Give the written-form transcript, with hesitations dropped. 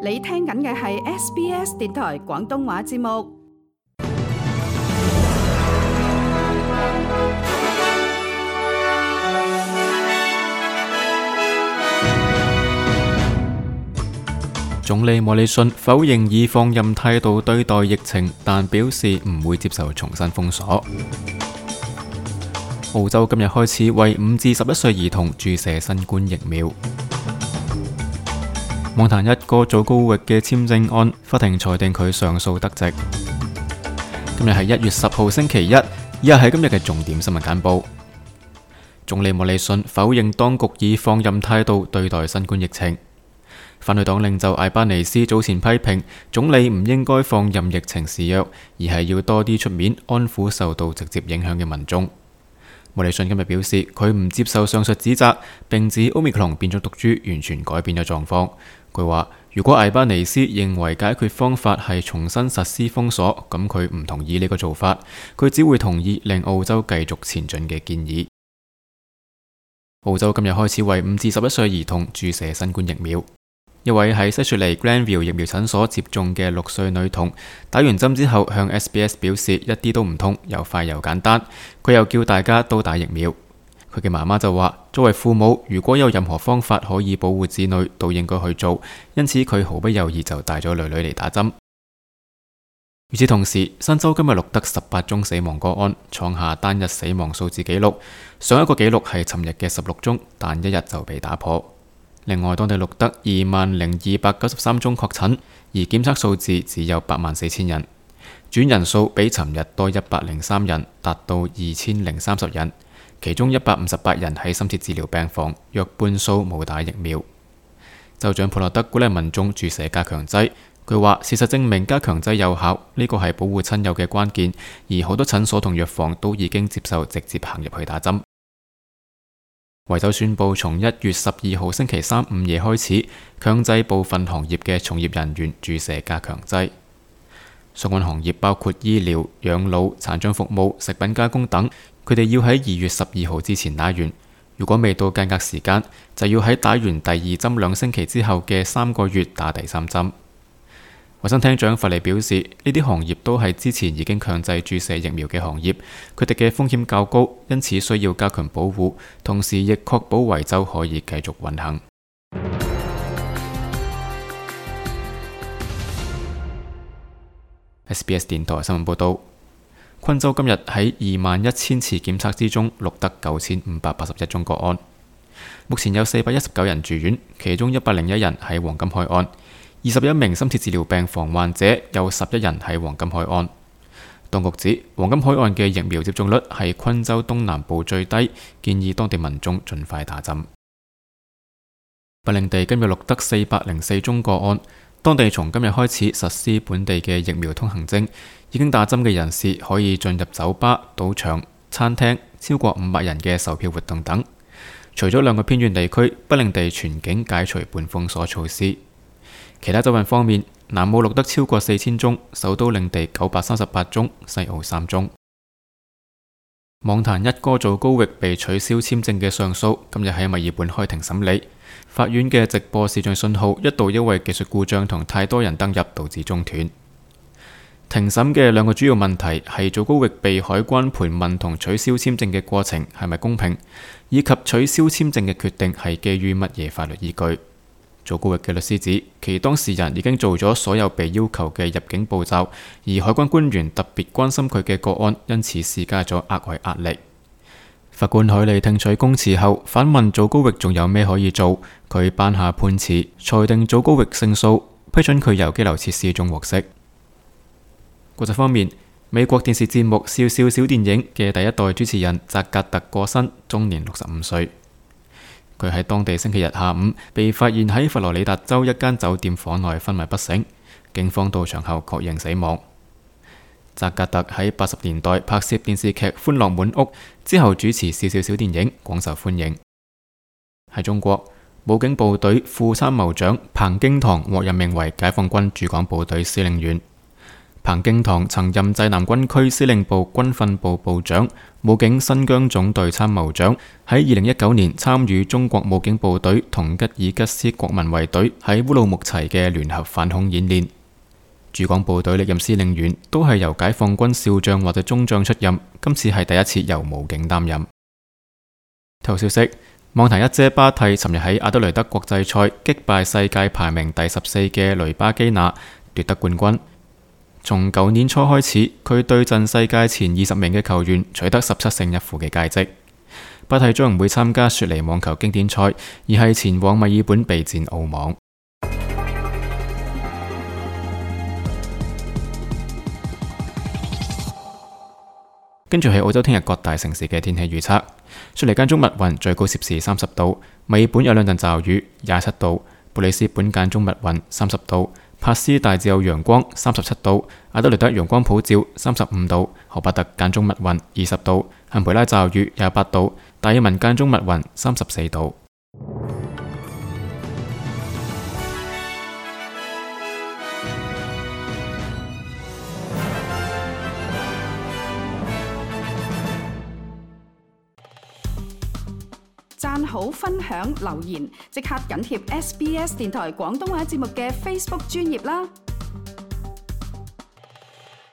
你聽緊嘅係 SBS 電台廣東話節目。總理莫里遜否認以放任態度對待疫情，但表示唔會接受重新封鎖。澳洲今日開始為5至11歲兒童注射新冠疫苗。網壇一個祖高域嘅簽證案，法庭裁定佢上訴得直。今日係1月10號星期一，以下係今日嘅重點新聞簡報。總理莫里遜否認當局以放任態度對待新冠疫情。反對黨領袖艾巴尼斯早前批評總理唔應該放任疫情肆虐，而係要多啲出面安撫受到直接影響嘅民眾。莫里遜今日表示，佢唔接受上述指責，並指 Omicron 變種毒株完全改變咗狀況。佢話：如果艾巴尼斯認為解決方法係重新實施封鎖，咁佢唔同意呢個做法，佢只會同意令澳洲繼續前進嘅建議。澳洲今日開始為5至11歲兒童注射新冠疫苗。一位喺西雪梨 Granville 疫苗診所接種嘅6歲女童，打完針之後向 SBS 表示一啲都唔痛，又快又簡單。佢又叫大家都打疫苗。佢嘅媽媽就話：作為父母，如果有任何方法可以保護子女，都應該去做。因此佢毫不猶豫就帶咗女女嚟打針。與此同時，新州今日錄得18宗死亡個案，創下單日死亡數字紀錄。上一個紀錄係尋日嘅16宗，但一日就被打破。另外，當地錄得20,293宗確診，而檢測數字只有84,000人，住院人數比尋日多103人，達到2,030人。其中158人喺深切治療病房，約半數冇打疫苗。州長普洛德鼓勵民眾注射加強劑，佢話事實證明加強劑有效，呢個係保護親友嘅關鍵，而好多診所同藥房都已經接受直接行入去打針。維州宣布從1月12號星期三午夜開始，強制部分行業嘅從業人員注射加強劑。相關行業包括醫療、養老、殘障服務、食品加工等，佢哋要喺2月12號之前打完。如果未到間隔時間，就要喺打完第2針2星期之後嘅3個月打第3針。衛生廳長弗利表示，呢啲行業都係之前已經強制注射疫苗嘅行業，佢哋嘅風險較高，因此需要加強保護，同時亦確保維州可以繼續運行。SBS 電台新聞報道，昆州今日喺21,000次檢測之中錄得9,581宗個案，目前有419人住院，其中101人喺黃金海岸。21名深切治療病房患者，有11人喺黃金海岸。當局指黃金海岸嘅疫苗接種率係昆州東南部最低，建議當地民眾盡快打針。北領地今日錄得404宗個案，當地從今日開始實施本地嘅疫苗通行證，已經打針嘅人士可以進入酒吧、賭場、餐廳、超過500人嘅售票活動等。除咗2個偏遠地區，北領地全境解除半封鎖措施。其他州份方面，南澳錄得超過4000宗，首都領地938宗，西澳3宗。網壇一哥祖高域被取消簽證嘅上訴，今日喺墨爾本開庭審理。法院嘅直播視像信號一度因為技術故障同太多人登入導致中斷。庭審嘅2個主要問題係祖高域被海關盤問同取消簽證嘅過程係咪公平，以及取消簽證嘅決定係基於乜嘢法律依據。祖高域嘅律師指，其當事人已經做咗所有被要求嘅入境步驟，而海關官員特別關心佢嘅個案，因此施加咗額外壓力。法官海利聽取公詞後，反問祖高域仲有咩可以做，佢頒下判詞，裁定祖高域勝訴，批准佢由羈留設施中獲釋。國際方面，美國電視節目《笑笑小電影》嘅第一代主持人扎格特過身，終年65歲。佢喺當地星期日下午被發現喺佛羅里達州一間酒店房內昏迷不醒，警方到場後確認死亡。扎格特喺80年代拍攝電視劇《歡樂滿屋》之後主持《笑笑小電影》，廣受歡迎。喺中國，武警部隊副參謀長彭京堂獲任命為解放軍駐港部隊司令員。彭京堂曾任濟南軍區司令部軍訓部部長、武警新疆總隊參謀長，喺2019年參與中國武警部隊同吉爾吉斯國民衛隊喺烏魯木齊嘅聯合反恐演練。駐港部隊歷任司令員都係由解放軍少將或者中將出任，今次係第一次由武警擔任。體育消息：網壇一姐巴蒂尋日喺阿德雷德國際賽擊敗世界排名第14嘅雷巴基娜，奪得冠軍。從舊年初開始，佢對陣世界前20名嘅球員，取得17勝1負嘅佳績。巴蒂將唔會參加雪梨網球經典賽，而係前往墨爾本備戰澳網。跟住係澳洲聽日各大城市嘅天氣預測：雪梨間中密雲，最高攝氏30度；墨爾本有兩陣驟雨，27度；布里斯本間中密雲，30度；帕斯大致有陽光，37度；阿德雷德陽光普照，35度；荷巴特間中密雲，20度；坎培拉驟雨，28度；達爾文間中密雲，34度。讚好、分享、留言，即刻緊貼SBS 電台廣東話節目嘅 Facebook 專頁啦！